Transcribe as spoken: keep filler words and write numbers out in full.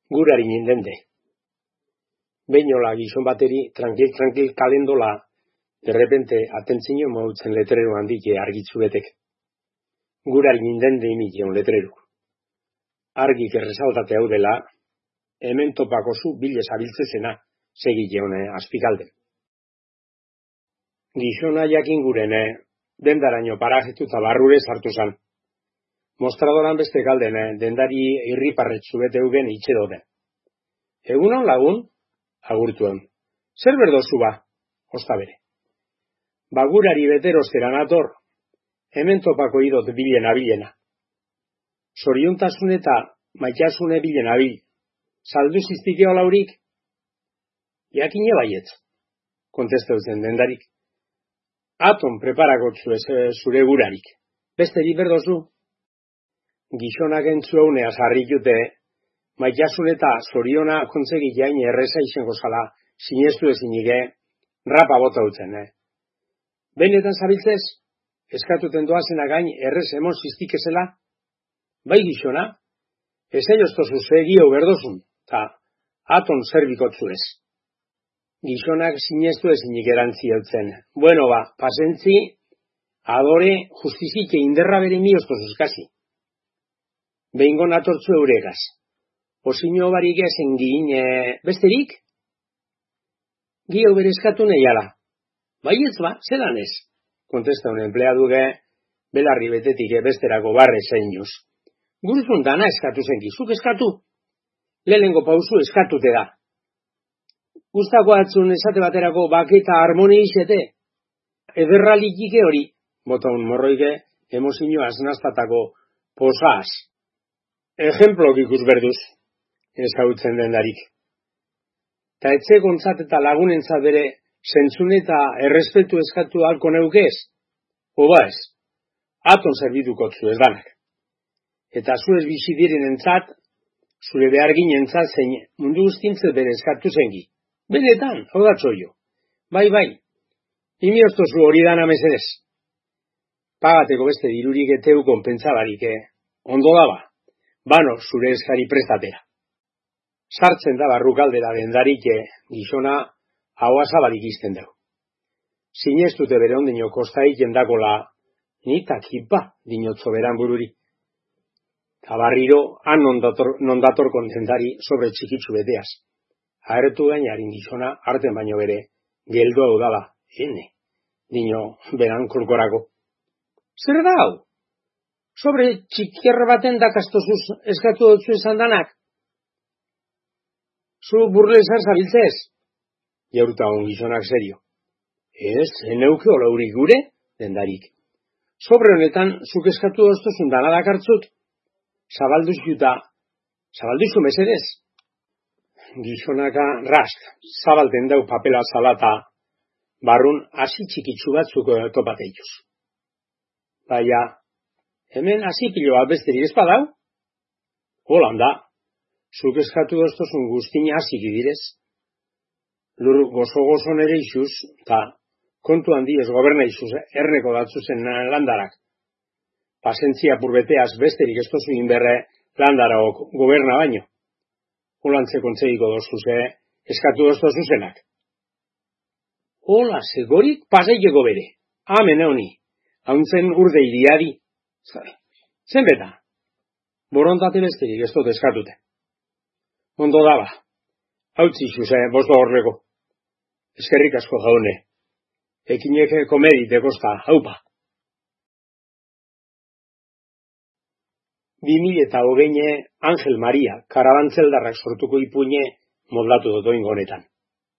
Gurari nindende. Beinola gizon bateri, tranquil-tranquil kalendola, de repente atentzino mautzen letrero handike argitzu betek. Gurari nindende imikion letrero. Argik erresaltate hau dela, hemen topako zu bile zabiltzezena, segileon azpikalden. Gizona jakin gurene, dendaraino parajetu eta barrure sartu zan. Mostradoran beste galdene, dendari irriparretzu bete eugen itxedoden. Egunon lagun, agurtuen. Zer berdozu ba, osta bere. Bagurari beterostera nator, hemen topako idot bilena bilena. Zoriontasun eta maitasune bilena bil. Saldu ziztikeo laurik? Jakine baietz, kontesteutzen dendarik. Aton preparakotzu ez zure gurarik. Besteri berdozu? Gizonak entzu eunea sarrikute, maitasun eta zoriona kontzegi jain erreza izango zala, sinestu ezinike, rapa bota utzen, eh? Benetan zabiltzez, eskatuten doazena gain errez emon ziztikezela? Bai gizona, ez aioztozu zegio berdozun, ta aton zerbikotzu ez. Gizonak sinestu ezinik erantzi eutzen. Bueno ba, pasentzi, adore justizike inderra bere mioztozuz kasi. Behingo natortzu euregaz. Osino barik ezen gin, e, besterik? Gio berezkatu nahiala. Baietz ba, zelan ez? Kontesta un empleaduge, belarri betetik besterako barre zeinuz. Guruzun dana eskatu zenki, zuk eskatu? Lehengo pauzu eskatute da. Gustako atzun esate baterako baketa harmoni izete? Ederralikike hori, bota un morroike, emozino aznaztatako posaz. Ejemplok ikus berduz, ezautzen dendarik. Ta etxe gontzat eta lagunentzat bere, zentzun eta errespetu eskatu halko neukez? Oba ez, aton zerbidukotzu ez danak. Eta zu ez bizi diren entzat, zure behar ginentzat zein mundu guztintzet bere eskatu zengi. Benetan, hau da txoio. Bai, bai, imioztozu hori dana mesedez. Pagateko beste dirurik eteu konpentsabarik, eh? Ondo daba. Bano, zure eskari prestatera. Sartzen da barrukaldera dendarik gizona hau azabarik izten dugu. Zinestute bere ondino kostaik jendakola, nitak hipa dinotzo beran bururi. Tabarriro, han nondator kontentari sobre txikitzu beteaz. Aertu gainarin gizona, arten baino bere, geldo hau dala, ene, dino beran kolkorako. Zer da hau? Sobre txikierra baten dakastozuz eskatu dutzu izan danak? Zu burlezar zabiltzez? Jauruta hon gizonak serio. Ez, eneuke olaurik gure, dendarik. Sobre honetan, zuk eskatu doztuzun dana dakartzut? Zabalduzu eta, zabalduzu mesedez? Gizonaka rast, zabalten dau papela zalata, barrun hasi txikitsu batzuk topateituz. Baina, hemen hasi pilo bat besterik ez badau? Holanda, zuk eskatu doztozun guztina hasi gidirez. Lur gozo-gozo nere izuz, eta kontu handi ez goberna izuz, erneko datzuzen landarak. Pasentzia purbeteaz besterik ez tozu inberre landaraok goberna baino. Holantze kontzegiko dozuze, eskatu doztozuzenak. Hola, segorik paseileko bere. Amen honi, hauntzen urde iriari. Zen beta, borontate besterik ez dut eskatute. Ondo daba, hautzi zuze, bosto horreko. Eskerrik asko jaune, ekineke komedi dekosta, haupa. Bi mila eta hogeine Angel Maria, karabantzeldarrak sortuko ipuine moldatu dotoin gonetan.